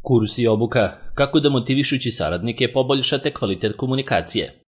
Kurs i obuka, kako da motivišući saradnike poboljšate kvalitet komunikacije.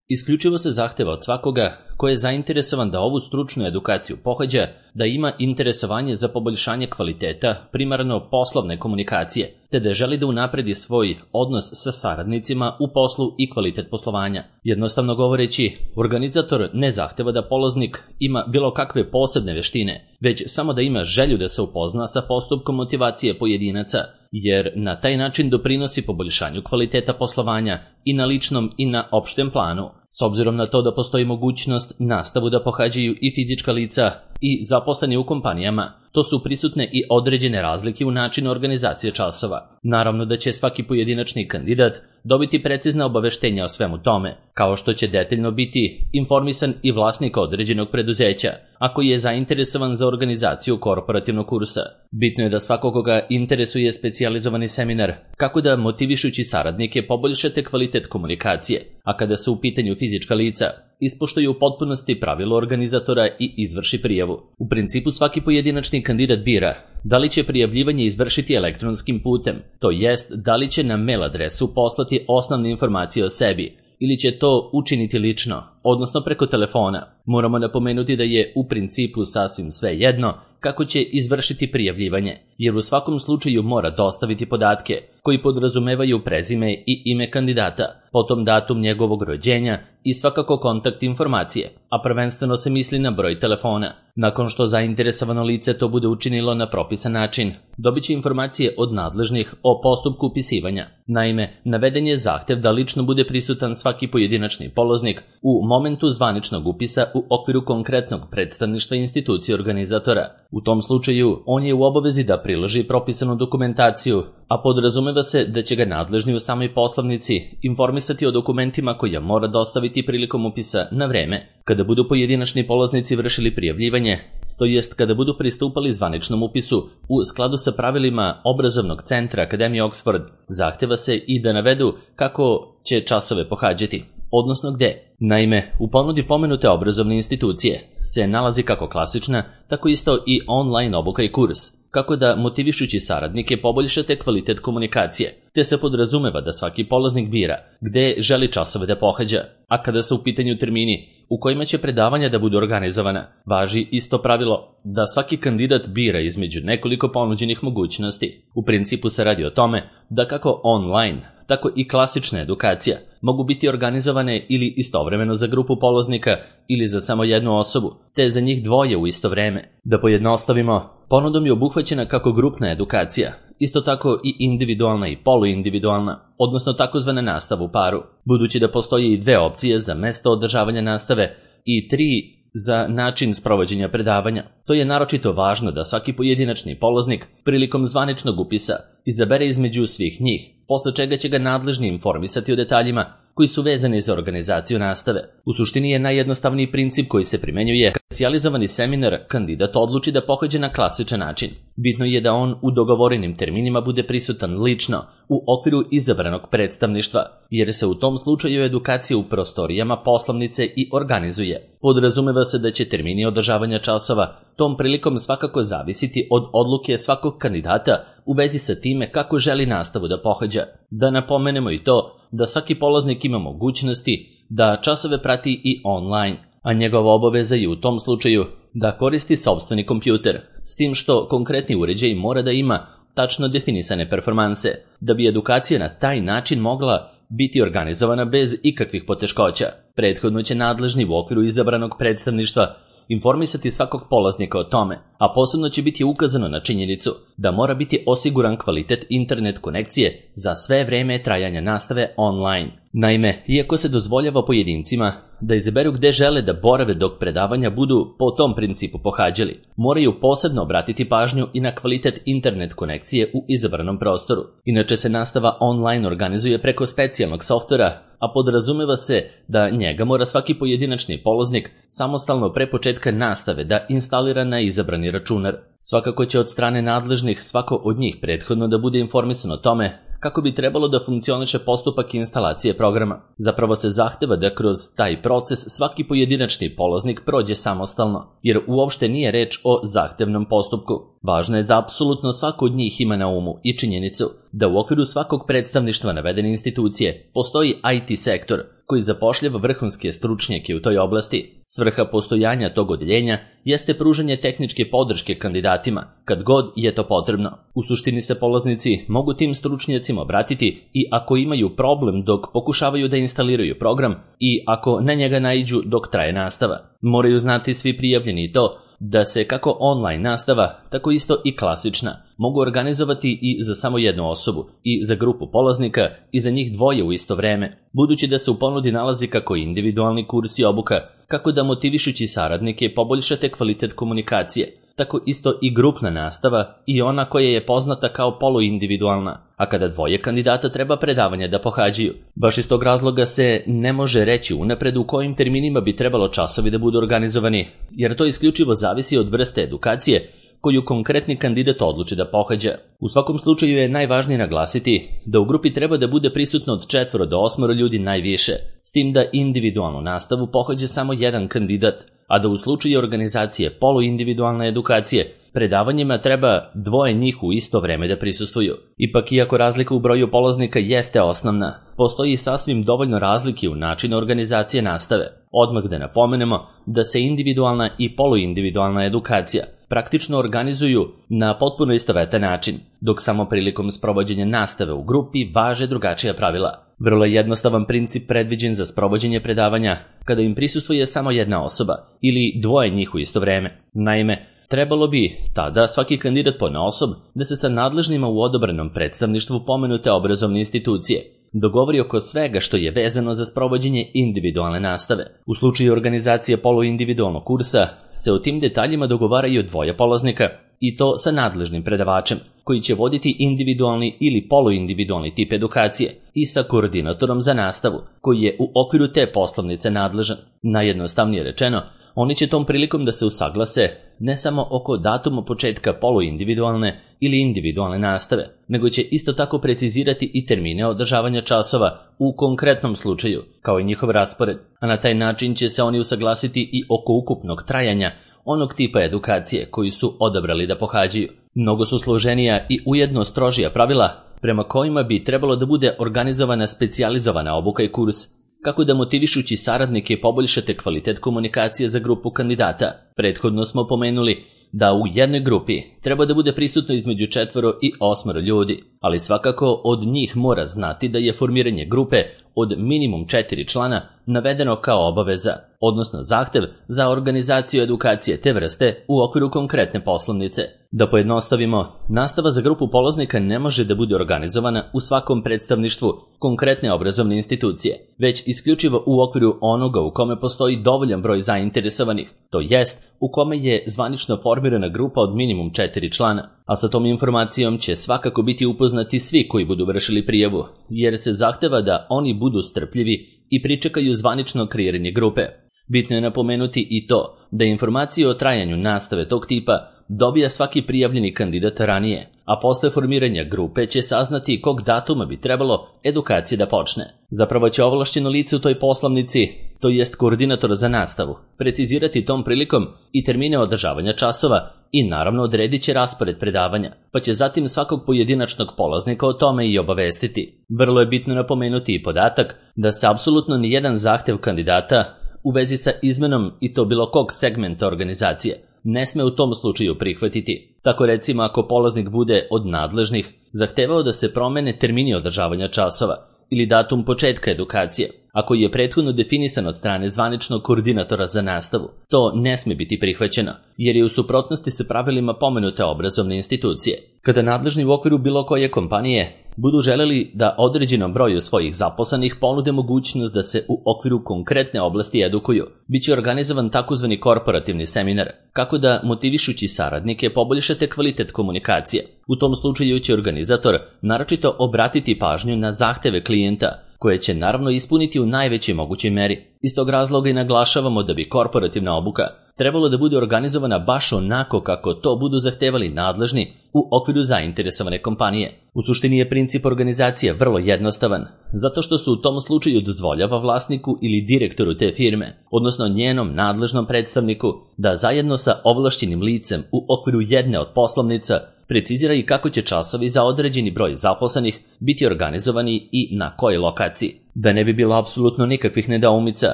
Isključivo se zahteva od svakoga ko je zainteresovan da ovu stručnu edukaciju pohađa, da ima interesovanje za poboljšanje kvaliteta, primarno poslovne komunikacije, te da želi da unapredi svoj odnos sa saradnicima u poslu i kvalitet poslovanja. Jednostavno govoreći, organizator ne zahteva da polaznik ima bilo kakve posebne veštine, već samo da ima želju da se upozna sa postupkom motivacije pojedinaca, jer na taj način doprinosi poboljšanju kvaliteta poslovanja i na ličnom i na opštem planu. S obzirom na to da postoji mogućnost nastavu da pohađaju i fizička lica i zaposleni u kompanijama, to su prisutne i određene razlike u načinu organizacije časova. Naravno da će svaki pojedinačni kandidat dobiti precizna obaveštenja o svemu tome, kao što će detaljno biti informisan i vlasnik određenog preduzeća, ako je zainteresovan za organizaciju korporativnog kursa. Bitno je da svakoga interesuje specijalizovani seminar, kako da motivišući saradnike poboljšate kvalitet komunikacije, a kada su u pitanju fizička lica, ispoštuju u potpunosti pravilo organizatora i izvrši prijavu. U principu svaki pojedinačni kandidat bira da li će prijavljivanje izvršiti elektronskim putem, to jest da li će na mail adresu poslati osnovne informacije o sebi, ili će to učiniti lično, odnosno preko telefona. Moramo napomenuti da je u principu sasvim sve jedno kako će izvršiti prijavljivanje, jer u svakom slučaju mora dostaviti podatke koji podrazumevaju prezime i ime kandidata, potom datum njegovog rođenja i svakako kontakt informacije, a prvenstveno se misli na broj telefona. Nakon što zainteresovano lice to bude učinilo na propisan način, dobit će informacije od nadležnih o postupku upisivanja. Naime, naveden je zahtev da lično bude prisutan svaki pojedinačni polaznik u momentu zvaničnog upisa u okviru konkretnog predstavništva institucije organizatora. U tom slučaju, on je u obavezi da priloži propisanu dokumentaciju, a podrazumeva se da će ga nadležni u samoj poslovnici informisati o dokumentima koje mora dostaviti prilikom upisa na vreme. Kada budu pojedinačni polaznici vršili prijavljivanje, to jest kada budu pristupali zvaničnom upisu u skladu sa pravilima obrazovnog centra Akademije Oxford, zahteva se i da navedu kako će časove pohađati, odnosno gde. Naime, u ponudi pomenute obrazovne institucije se nalazi kako klasična, tako isto i online obuka i kurs, kako da motivišući saradnike poboljšate kvalitet komunikacije, te se podrazumeva da svaki polaznik bira gde želi časove da pohađa, a kada su u pitanju termini u kojima će predavanja da budu organizovana, važi isto pravilo da svaki kandidat bira između nekoliko ponuđenih mogućnosti. U principu se radi o tome da kako online, tako i klasična edukacija mogu biti organizovane ili istovremeno za grupu polaznika ili za samo jednu osobu, te za njih dvoje u isto vreme. Da pojednostavimo, ponudom je obuhvaćena kako grupna edukacija, isto tako i individualna i poluindividualna, odnosno takozvana nastava u paru, budući da postoje i dve opcije za mesto održavanja nastave i 3 za način sprovođenja predavanja. To je naročito važno da svaki pojedinačni polaznik prilikom zvaničnog upisa izabere između svih njih, posle čega će ga nadležni informisati o detaljima koji su vezani za organizaciju nastave. U suštini je najjednostavniji princip koji se primenjuje kad specijalizovani seminar kandidat odluči da pohađa na klasičan način. Bitno je da on u dogovorenim terminima bude prisutan lično u okviru izabranog predstavništva, jer se u tom slučaju edukacija u prostorijama poslovnice i organizuje. Podrazumeva se da će termini održavanja časova tom prilikom svakako zavisiti od odluke svakog kandidata u vezi sa time kako želi nastavu da pohađa. Da napomenemo i to da svaki polaznik ima mogućnosti da časove prati i online, a njegova obaveza je u tom slučaju da koristi sopstveni kompjuter, s tim što konkretni uređaj mora da ima tačno definisane performanse, da bi edukacija na taj način mogla biti organizovana bez ikakvih poteškoća. Prethodno će nadležni u okviru izabranog predstavništva informisati svakog polaznika o tome, a posebno će biti ukazano na činjenicu da mora biti osiguran kvalitet internet konekcije za sve vreme trajanja nastave online. Naime, iako se dozvoljava pojedincima da izaberu gde žele da borave dok predavanja budu po tom principu pohađali, moraju posebno obratiti pažnju i na kvalitet internet konekcije u izabranom prostoru. Inače se nastava online organizuje preko specijalnog softvera, a podrazumeva se da njega mora svaki pojedinačni polaznik samostalno pre početka nastave da instalira na izabrani računar. Svakako će od strane nadležnih svako od njih prethodno da bude informisan o tome kako bi trebalo da funkcioniše postupak instalacije programa. Zapravo se zahteva da kroz taj proces svaki pojedinačni polaznik prođe samostalno, jer uopšte nije reč o zahtevnom postupku. Važno je da apsolutno svako od njih ima na umu i činjenicu da u okviru svakog predstavništva navedene institucije postoji IT sektor koji zapošljava vrhunske stručnjake u toj oblasti. Svrha postojanja tog odeljenja jeste pružanje tehničke podrške kandidatima, kad god je to potrebno. U suštini se polaznici mogu tim stručnjacima obratiti i ako imaju problem dok pokušavaju da instaliraju program i ako na njega naiđu dok traje nastava. Moraju znati svi prijavljeni to da se kako online nastava, tako isto i klasična, mogu organizovati i za samo jednu osobu, i za grupu polaznika, i za njih dvoje u isto vreme, budući da se u ponudi nalazi kako individualni kurs i obuka, kako da motivišući saradnike poboljšate kvalitet komunikacije, tako isto i grupna nastava i ona koja je poznata kao poluindividualna, a kada dvoje kandidata treba predavanja da pohađaju. Baš iz tog razloga se ne može reći unapred u kojim terminima bi trebalo časovi da budu organizovani, jer to isključivo zavisi od vrste edukacije koju konkretni kandidat odluči da pohađa. U svakom slučaju je najvažnije naglasiti da u grupi treba da bude prisutno od 4 do 8 ljudi najviše, s tim da individualnu nastavu pohađa samo jedan kandidat, a da u slučaju organizacije poluindividualne edukacije predavanjima treba dvoje njih u isto vreme da prisustvuju. Ipak, iako razlika u broju polaznika jeste osnovna, postoji sasvim dovoljno razlike u načinu organizacije nastave. Odmah da napomenemo da se individualna i poluindividualna edukacija praktično organizuju na potpuno istovetan način, dok samo prilikom sprovođenja nastave u grupi važe drugačija pravila. Vrlo jednostavan princip predviđen za sprovođenje predavanja kada im prisustvuje samo jedna osoba ili dvoje njih u isto vreme. Naime, trebalo bi tada svaki kandidat ponaosob da se sa nadležnima u odabranom predstavništvu pomenute obrazovne institucije dogovori oko svega što je vezano za sprovođenje individualne nastave. U slučaju organizacije poluindividualnog kursa se o tim detaljima dogovaraju dvoje polaznika i to sa nadležnim predavačem koji će voditi individualni ili poluindividualni tip edukacije i sa koordinatorom za nastavu koji je u okviru te poslovnice nadležan. Najjednostavnije rečeno, oni će tom prilikom da se usaglase ne samo oko datuma početka poluindividualne ili individualne nastave, nego će isto tako precizirati i termine održavanja časova u konkretnom slučaju, kao i njihov raspored, a na taj način će se oni usaglasiti i oko ukupnog trajanja onog tipa edukacije koju su odabrali da pohađaju. Mnogo su složenija i ujedno strožija pravila prema kojima bi trebalo da bude organizovana specijalizovana obuka i kurs, kako da motivišući saradnike poboljšate kvalitet komunikacije za grupu kandidata. Prethodno smo pomenuli da u jednoj grupi treba da bude prisutno između 4 i 8 ljudi, ali svakako od njih mora znati da je formiranje grupe od minimum 4 člana navedeno kao obaveza, odnosno zahtev za organizaciju edukacije te vrste u okviru konkretne poslovnice. Da pojednostavimo, nastava za grupu polaznika ne može da bude organizovana u svakom predstavništvu konkretne obrazovne institucije, već isključivo u okviru onoga u kome postoji dovoljan broj zainteresovanih, to jest u kome je zvanično formirana grupa od minimum 4 člana. A sa tom informacijom će svakako biti upoznati svi koji budu vršili prijavu, jer se zahteva da oni budu strpljivi i pričekaju zvanično kreiranje grupe. Bitno je napomenuti i to da informacije o trajanju nastave tog tipa dobija svaki prijavljeni kandidat ranije, a posle formiranja grupe će saznati kog datuma bi trebalo edukacija da počne. Zapravo će ovlašćeno lice u toj poslovnici, to jest koordinator za nastavu, precizirati tom prilikom i termine održavanja časova i naravno odredit će raspored predavanja, pa će zatim svakog pojedinačnog polaznika o tome i obavestiti. Vrlo je bitno napomenuti i podatak da se apsolutno nijedan zahtev kandidata u vezi sa izmenom i to bilo kog segmenta organizacije ne sme u tom slučaju prihvatiti. Tako recimo ako polaznik bude od nadležnih zahtevao da se promene termini održavanja časova ili datum početka edukacije, ako je prethodno definisan od strane zvaničnog koordinatora za nastavu, to ne sme biti prihvaćeno, jer je u suprotnosti sa pravilima pomenute obrazovne institucije. Kada nadležni u okviru bilo koje kompanije budu želeli da određenom broju svojih zaposlenih ponude mogućnost da se u okviru konkretne oblasti edukuju, biće organizovan takozvani korporativni seminar, kako da motivišući saradnike poboljšate kvalitet komunikacije. U tom slučaju će organizator naročito obratiti pažnju na zahteve klijenta, koje će naravno ispuniti u najvećoj mogućoj meri. Iz tog razloga i naglašavamo da bi korporativna obuka trebalo da bude organizovana baš onako kako to budu zahtevali nadležni u okviru zainteresovane kompanije. U suštini je princip organizacije vrlo jednostavan, zato što se u tom slučaju dozvoljava vlasniku ili direktoru te firme, odnosno njenom nadležnom predstavniku, da zajedno sa ovlašćenim licem u okviru jedne od poslovnica precizira i kako će časovi za određeni broj zaposlenih biti organizovani i na kojoj lokaciji. Da ne bi bilo apsolutno nikakvih nedoumica,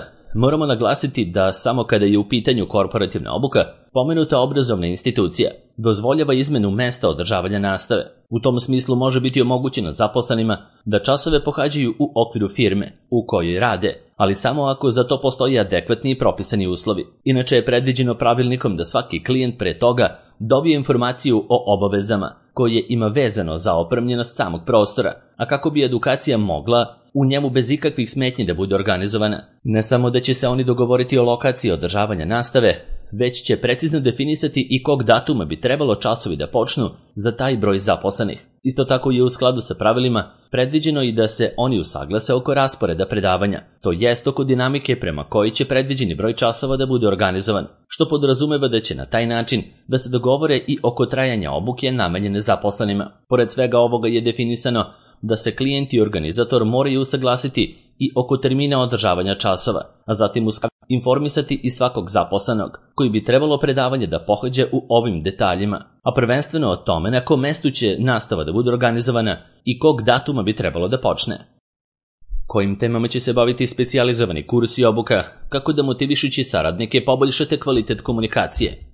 moramo naglasiti da samo kada je u pitanju korporativna obuka, pomenuta obrazovna institucija dozvoljava izmenu mesta održavanja nastave. U tom smislu može biti omogućeno zaposlenima da časove pohađaju u okviru firme u kojoj rade, ali samo ako za to postoji adekvatni i propisani uslovi. Inače je predviđeno pravilnikom da svaki klijent pre toga dobije informaciju o obavezama koje ima vezano za opremljenost samog prostora, a kako bi edukacija mogla u njemu bez ikakvih smetnji da bude organizovana. Ne samo da će se oni dogovoriti o lokaciji održavanja nastave, već će precizno definisati i kog datuma bi trebalo časovi da počnu za taj broj zaposlenih. Isto tako je u skladu sa pravilima predviđeno i da se oni usaglase oko rasporeda predavanja, to jest oko dinamike prema kojoj će predviđeni broj časova da bude organizovan, što podrazumeva da će na taj način da se dogovore i oko trajanja obuke namenjene zaposlenima. Pored svega ovoga je definisano da se klijent i organizator moraju usaglasiti i oko termina održavanja časova, a zatim informisati i svakog zaposlenog koji bi trebalo predavanje da pohađa u ovim detaljima, a prvenstveno o tome na kom mestu će nastava da bude organizovana i kog datuma bi trebalo da počne. Kojim temama će se baviti specijalizovani kurs i obuka, kako da motivišući saradnike poboljšate kvalitet komunikacije.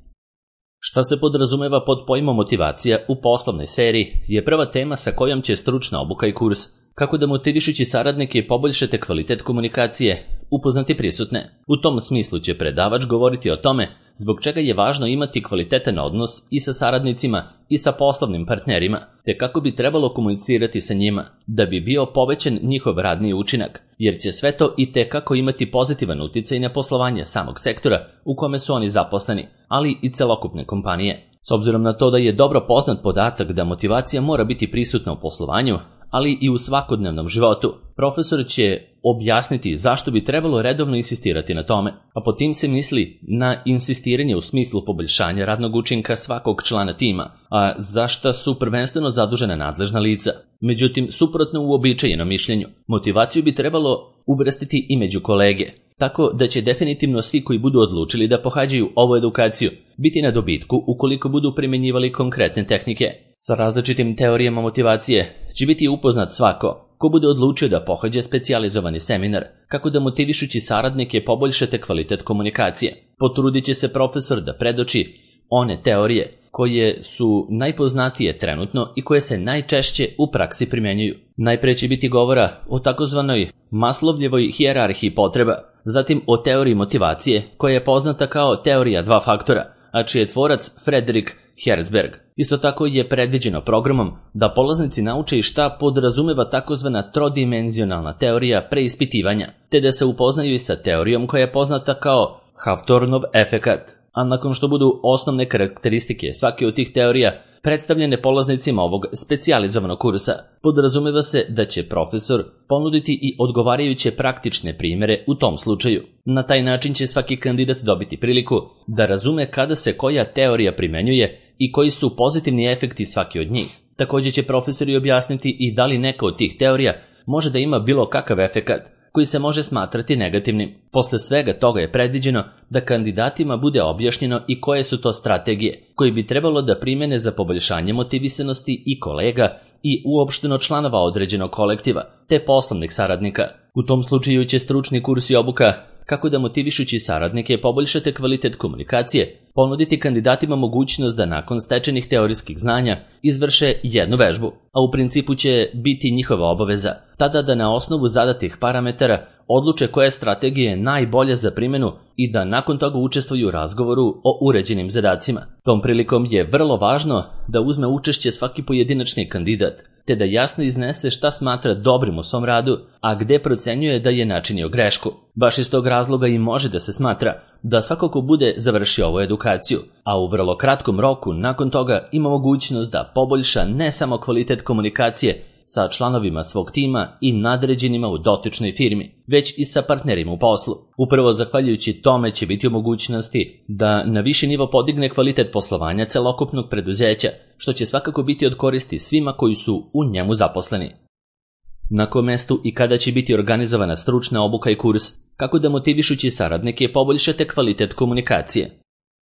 Šta se podrazumeva pod pojmom motivacija u poslovnoj sferi je prva tema sa kojom će stručna obuka i kurs, kako da motivišući saradnike poboljšate kvalitet komunikacije, upoznati prisutne. U tom smislu će predavač govoriti o tome zbog čega je važno imati kvalitetan odnos i sa saradnicima i sa poslovnim partnerima, te kako bi trebalo komunicirati sa njima, da bi bio povećan njihov radni učinak, jer će sve to i tekako imati pozitivan uticaj na poslovanje samog sektora u kome su oni zaposleni, ali i celokupne kompanije. S obzirom na to da je dobro poznat podatak da motivacija mora biti prisutna u poslovanju, ali i u svakodnevnom životu, profesor će objasniti zašto bi trebalo redovno insistirati na tome, a po tim se misli na insistiranje u smislu poboljšanja radnog učinka svakog člana tima, a za šta su prvenstveno zadužena nadležna lica. Međutim, suprotno uobičajenom mišljenju, motivaciju bi trebalo uvrstiti i među kolege, tako da će definitivno svi koji budu odlučili da pohađaju ovu edukaciju biti na dobitku ukoliko budu primjenjivali konkretne tehnike. Sa različitim teorijama motivacije će biti upoznat svako ko bude odlučio da pohađa specijalizovani seminar, kako da motivišući saradnike poboljšate kvalitet komunikacije. Potrudit će se profesor da predoči one teorije koje su najpoznatije trenutno i koje se najčešće u praksi primjenjuju. Najpre će biti govora o takozvanoj Maslowljevoj hijerarhiji potreba, zatim o teoriji motivacije koja je poznata kao teorija dva faktora, a čiji je tvorac Frederick Herzberg. Isto tako je predviđeno programom da polaznici nauče i šta podrazumeva takozvana trodimenzionalna teorija preispitivanja, te da se upoznaju i sa teorijom koja je poznata kao Hawthornov efekat. A nakon što budu osnovne karakteristike svake od tih teorija predstavljene polaznicima ovog specijalizovanog kursa, podrazumeva se da će profesor ponuditi i odgovarajuće praktične primjere u tom slučaju. Na taj način će svaki kandidat dobiti priliku da razume kada se koja teorija primenjuje i koji su pozitivni efekti svaki od njih. Također će profesori objasniti i da li neka od tih teorija može da ima bilo kakav efekat koji se može smatrati negativnim. Posle svega toga je predviđeno da kandidatima bude objašnjeno i koje su to strategije koje bi trebalo da primene za poboljšanje motivisanosti i kolega i uopšteno članova određenog kolektiva, te poslovnih saradnika. U tom slučaju će stručni kurs i obuka kako da motivišući saradnike poboljšate kvalitet komunikacije, ponuditi kandidatima mogućnost da nakon stečenih teorijskih znanja izvrše jednu vežbu, a u principu će biti njihova obaveza tada da na osnovu zadatih parametara odluče koja je strategija najbolja za primjenu i da nakon toga učestvuju u razgovoru o uređenim zadacima. Tom prilikom je vrlo važno da uzme učešće svaki pojedinačni kandidat, te da jasno iznese šta smatra dobrim u svom radu, a gde procenjuje da je načinio grešku. Baš iz tog razloga i može da se smatra da svako ko bude završio ovu edukaciju, a u vrlo kratkom roku nakon toga ima mogućnost da poboljša ne samo kvalitet komunikacije sa članovima svog tima i nadređenima u dotičnoj firmi, već i sa partnerima u poslu. Upravo zahvaljujući tome će biti u mogućnosti da na viši nivo podigne kvalitet poslovanja celokupnog preduzeća, što će svakako biti od koristi svima koji su u njemu zaposleni. Na kom mestu i kada će biti organizovana stručna obuka i kurs, kako da motivišući saradnike poboljšate kvalitet komunikacije.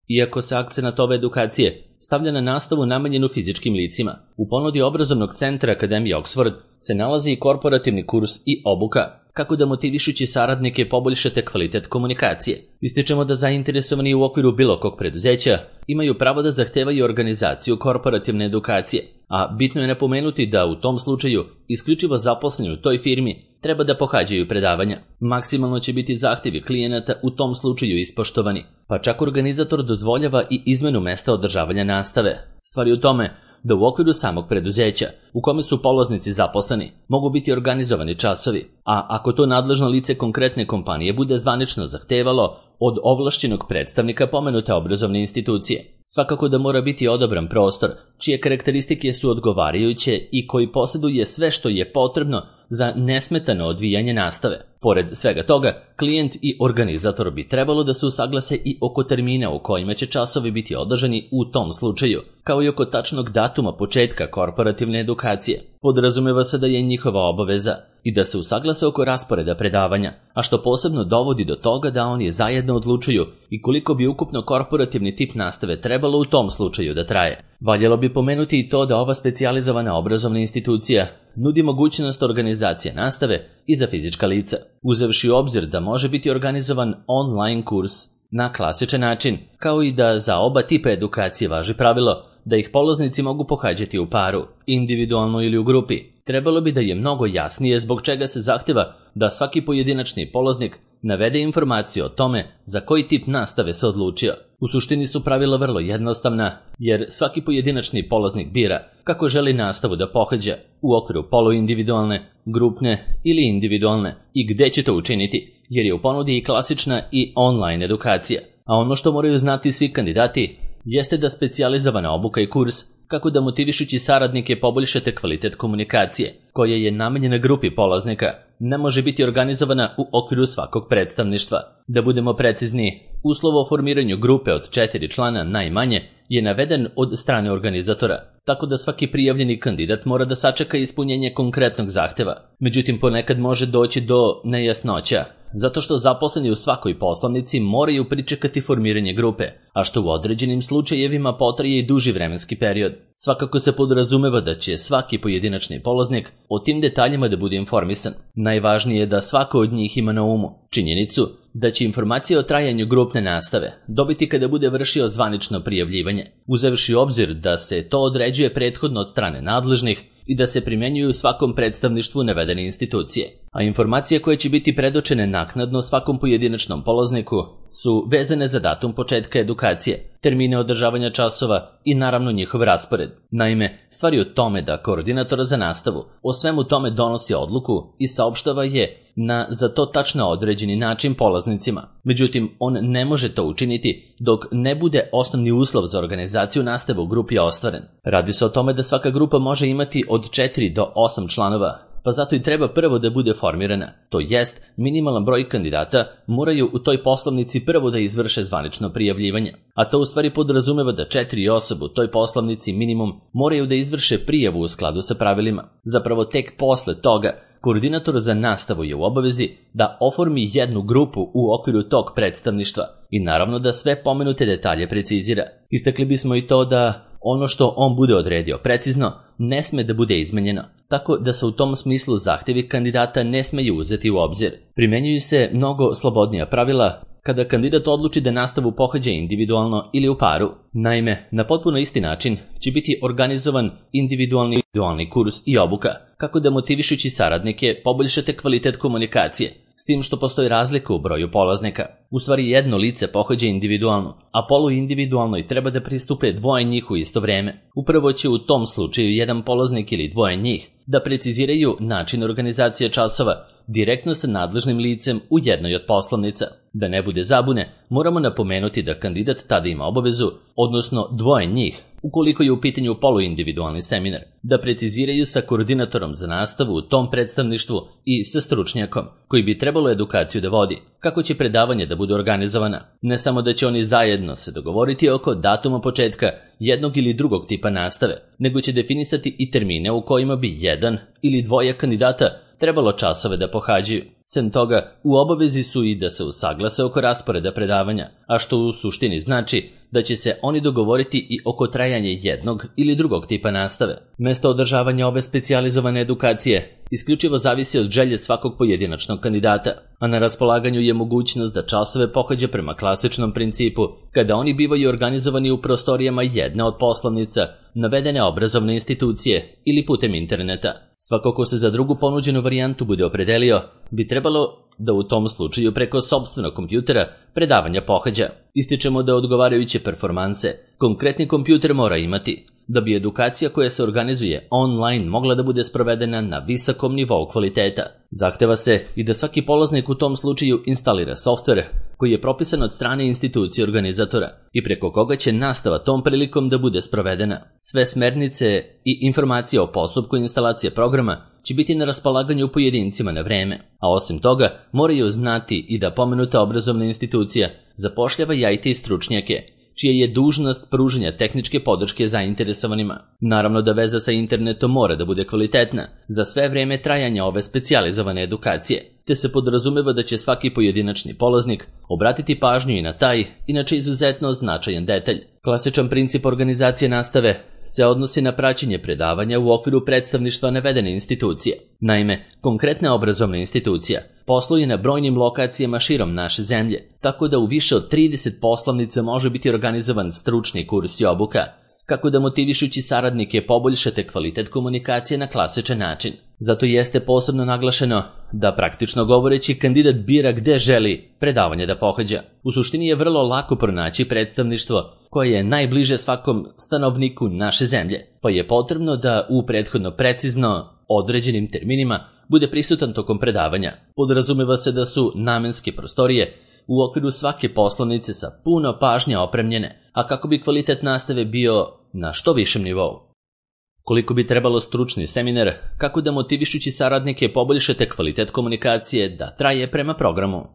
Iako se akcenat ove edukacije stavlja na nastavu namenjenu fizičkim licima, u ponudi obrazovnog centra Akademije Oxford se nalazi i korporativni kurs i obuka, kako da motivišući saradnike poboljšate kvalitet komunikacije. Ističemo da zainteresovani u okviru bilo kog preduzeća imaju pravo da zahtevaju organizaciju korporativne edukacije, a bitno je napomenuti da u tom slučaju isključivo zaposleni u toj firmi treba da pohađaju predavanja. Maksimalno će biti zahtjevi klijenata u tom slučaju ispoštovani, pa čak organizator dozvoljava i izmenu mesta održavanja nastave. Stvar je u tome da u okviru samog preduzeća, u kome su polaznici zaposleni, mogu biti organizovani časovi, a ako to nadležno lice konkretne kompanije bude zvanično zahtevalo od ovlašćenog predstavnika pomenute obrazovne institucije. Svakako da mora biti odabran prostor, čije karakteristike su odgovarajuće i koji posjeduje sve što je potrebno za nesmetano odvijanje nastave. Pored svega toga, klijent i organizator bi trebalo da se usaglase i oko termina u kojima će časovi biti održani u tom slučaju, kao i oko tačnog datuma početka korporativne edukacije. Podrazumeva se da je njihova obaveza i da se usaglase oko rasporeda predavanja, a što posebno dovodi do toga da oni zajedno odlučuju i koliko bi ukupno korporativni tip nastave trebalo u tom slučaju da traje. Valjalo bi pomenuti i to da ova specijalizovana obrazovna institucija nudi mogućnost organizacije nastave i za fizička lica, uzevši u obzir da može biti organizovan online kurs na klasičan način, kao i da za oba tipa edukacije važi pravilo da ih polaznici mogu pohađati u paru, individualno ili u grupi. Trebalo bi da je mnogo jasnije zbog čega se zahteva da svaki pojedinačni polaznik navede informaciju o tome za koji tip nastave se odlučio. U suštini su pravila vrlo jednostavna, jer svaki pojedinačni polaznik bira kako želi nastavu da pohađa u okviru poluindividualne, grupne ili individualne i gde će to učiniti, jer je u ponudi i klasična i online edukacija. A ono što moraju znati svi kandidati jeste da specijalizovana obuka i kurs kako da motivišući saradnike poboljšate kvalitet komunikacije, koja je namenjena grupi polaznika, ne može biti organizovana u okviru svakog predstavništva. Da budemo precizni, uslov o formiranju grupe od 4 člana najmanje je naveden od strane organizatora, tako da svaki prijavljeni kandidat mora da sačeka ispunjenje konkretnog zahteva. Međutim, ponekad može doći do nejasnoća, zato što zaposleni u svakoj poslovnici moraju pričekati formiranje grupe, a što u određenim slučajevima potraje i duži vremenski period. Svakako se podrazumeva da će svaki pojedinačni polaznik o tim detaljima da bude informisan. Najvažnije je da svako od njih ima na umu činjenicu da će informacije o trajanju grupne nastave dobiti kada bude vršio zvanično prijavljivanje, uzevši u obzir da se to određuje prethodno od strane nadležnih i da se primjenjuju u svakom predstavništvu navedene institucije. A informacije koje će biti predočene naknadno svakom pojedinačnom polazniku su vezane za datum početka edukacije, termine održavanja časova i naravno njihov raspored. Naime, stvar je u tome da koordinator za nastavu o svemu tome donosi odluku i saopštava je na za to tačno određeni način polaznicima. Međutim, on ne može to učiniti dok ne bude osnovni uslov za organizaciju nastave u grupi ostvaren. Radi se o tome da svaka grupa može imati od 4 do 8 članova, pa zato i treba prvo da bude formirana. To jest, minimalan broj kandidata moraju u toj poslovnici prvo da izvrše zvanično prijavljivanje. A to u stvari podrazumeva da 4 osobe u toj poslovnici minimum moraju da izvrše prijavu u skladu sa pravilima. Zapravo tek posle toga koordinator za nastavu je u obavezi da oformi jednu grupu u okviru tog predstavništva i naravno da sve pomenute detalje precizira. Istakli bismo i to da ono što on bude odredio precizno ne sme da bude izmenjeno, tako da se u tom smislu zahtjevi kandidata ne smeju uzeti u obzir. Primenjuju se mnogo slobodnija pravila kada kandidat odluči da nastavu pohađa individualno ili u paru. Naime, na potpuno isti način će biti organizovan individualni kurs i obuka, kako da motivišući saradnike poboljšate kvalitet komunikacije, s tim što postoji razlika u broju polaznika. U stvari jedno lice pohađa individualno, a poluindividualno i treba da pristupe dvoje njih u isto vreme. Upravo će u tom slučaju jedan polaznik ili dvoje njih da preciziraju način organizacije časova direktno sa nadležnim licem u jednoj od poslovnica. Da ne bude zabune, moramo napomenuti da kandidat tada ima obavezu, odnosno dvoje njih, ukoliko je u pitanju poluindividualni seminar, da preciziraju sa koordinatorom za nastavu u tom predstavništvu i sa stručnjakom koji bi trebalo edukaciju da vodi, kako će predavanje da bude organizovana. Ne samo da će oni zajedno se dogovoriti oko datuma početka jednog ili drugog tipa nastave, nego će definisati i termine u kojima bi jedan ili dvoje kandidata trebalo časove da pohađaju. Sem toga, u obavezi su i da se usaglase oko rasporeda predavanja, a što u suštini znači da će se oni dogovoriti i oko trajanja jednog ili drugog tipa nastave. Mesto održavanja ove specijalizovane edukacije isključivo zavisi od želje svakog pojedinačnog kandidata, a na raspolaganju je mogućnost da časove pohađa prema klasičnom principu, kada oni bivaju organizovani u prostorijama jedne od poslovnica navedene obrazovne institucije ili putem interneta. Svako ko se za drugu ponuđenu varijantu bude opredelio, bi trebalo da u tom slučaju preko sopstvenog kompjutera predavanja pohađa. Ističemo da odgovarajuće performanse konkretni kompjuter mora imati, da bi edukacija koja se organizuje online mogla da bude sprovedena na visokom nivou kvaliteta. Zahteva se i da svaki polaznik u tom slučaju instalira softver koji je propisan od strane institucije organizatora i preko koga će nastava tom prilikom da bude sprovedena. Sve smernice i informacije o postupku instalacije programa će biti na raspolaganju pojedincima na vreme, a osim toga moraju znati i da pomenuta obrazovna institucija zapošljava i IT stručnjake, čija je dužnost pružanja tehničke podrške zainteresovanima. Naravno da veza sa internetom mora da bude kvalitetna za sve vreme trajanja ove specijalizovane edukacije, te se podrazumeva da će svaki pojedinačni polaznik obratiti pažnju i na taj, inače izuzetno značajan detalj. Klasičan princip organizacije nastave se odnosi na praćenje predavanja u okviru predstavništva navedene institucije. Naime, konkretna obrazovna institucija posluje na brojnim lokacijama širom naše zemlje, tako da u više od 30 poslovnica može biti organizovan stručni kurs i obuka, kako da motivišući saradnike poboljšate kvalitet komunikacije na klasičan način. Zato jeste posebno naglašeno da praktično govoreći kandidat bira gde želi predavanje da pohađa. U suštini je vrlo lako pronaći predstavništvo koje je najbliže svakom stanovniku naše zemlje, pa je potrebno da u prethodno precizno određenim terminima bude prisutan tokom predavanja. Podrazumeva se da su namenske prostorije u okviru svake poslovnice sa puno pažnje opremljene, a kako bi kvalitet nastave bio na što višem nivou. Koliko bi trebalo stručni seminar, kako da motivišući saradnike poboljšate kvalitet komunikacije da traje prema programu.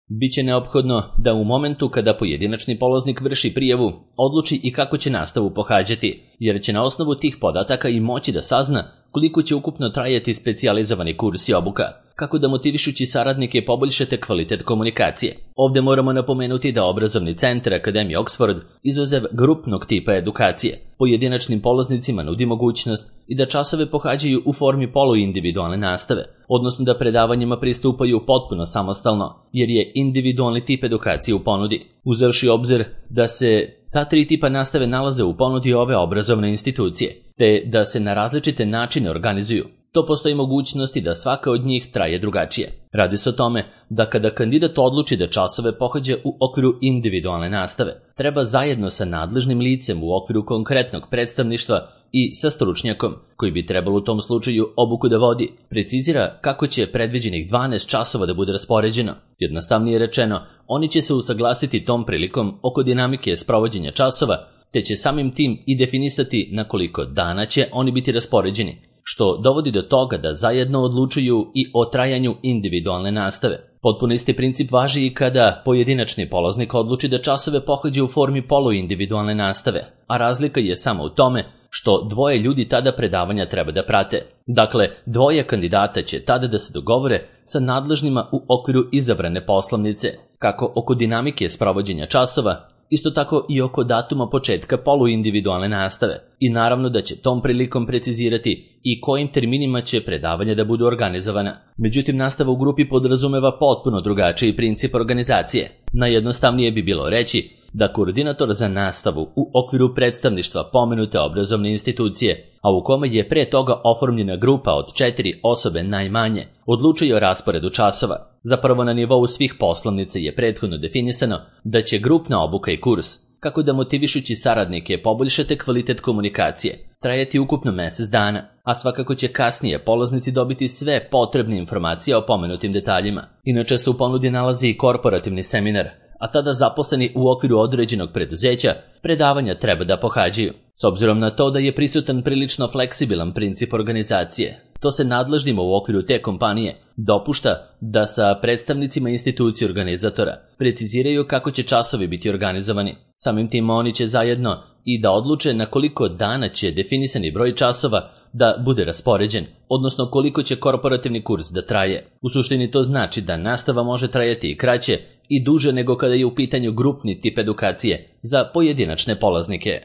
Biće neophodno da u momentu kada pojedinačni polaznik vrši prijavu, odluči i kako će nastavu pohađati, jer će na osnovu tih podataka i moći da sazna koliko će ukupno trajati specijalizovani kurs i obuka, kako da motivišući saradnike poboljšate kvalitet komunikacije. Ovdje moramo napomenuti da obrazovni centar Akademije Oxford, izuzev grupnog tipa edukacije, pojedinačnim polaznicima nudi mogućnost i da časove pohađaju u formi poluindividualne nastave, odnosno da predavanjima pristupaju potpuno samostalno, jer je individualni tip edukacije u ponudi. Uzevši obzir da se ta tri tipa nastave nalaze u ponudi ove obrazovne institucije, te da se na različite načine organizuju, to postoji mogućnosti da svaka od njih traje drugačije. Radi se o tome da kada kandidat odluči da časove pohađa u okviru individualne nastave, treba zajedno sa nadležnim licem u okviru konkretnog predstavništva i sa stručnjakom, koji bi trebalo u tom slučaju obuku da vodi, precizira kako će predviđenih 12 časova da bude raspoređeno. Jednostavnije rečeno, oni će se usaglasiti tom prilikom oko dinamike sprovođenja časova, te će samim tim i definisati na koliko dana će oni biti raspoređeni, što dovodi do toga da zajedno odlučuju i o trajanju individualne nastave. Potpuno isti princip važi i kada pojedinačni polaznik odluči da časove pohađa u formi poluindividualne nastave, a razlika je samo u tome što dvoje ljudi tada predavanja treba da prate. Dakle, dvoje kandidata će tada da se dogovore sa nadležnima u okviru izabrane poslovnice, kako oko dinamike sprovođenja časova, isto tako i oko datuma početka poluindividualne nastave, i naravno da će tom prilikom precizirati i kojim terminima će predavanja da budu organizovana. Međutim, nastava u grupi podrazumeva potpuno drugačiji princip organizacije. Najjednostavnije bi bilo reći da koordinator za nastavu u okviru predstavništva pomenute obrazovne institucije, a u kome je pre toga oformljena grupa od 4 osobe najmanje, odlučuje o rasporedu časova. Zapravo na nivou svih poslovnica je prethodno definisano da će grupna obuka i kurs, kako da motivišući saradnike poboljšate kvalitet komunikacije, trajati ukupno mjesec dana, a svakako će kasnije polaznici dobiti sve potrebne informacije o pomenutim detaljima. Inače se u ponudi nalazi i korporativni seminar, a tada zaposleni u okviru određenog preduzeća predavanja treba da pohađaju. S obzirom na to da je prisutan prilično fleksibilan princip organizacije, to se nadležnima u okviru te kompanije dopušta da sa predstavnicima institucije organizatora preciziraju kako će časovi biti organizovani. Samim tim oni će zajedno i da odluče na koliko dana će definisani broj časova da bude raspoređen, odnosno koliko će korporativni kurs da traje. U suštini to znači da nastava može trajati i kraće i duže nego kada je u pitanju grupni tip edukacije za pojedinačne polaznike.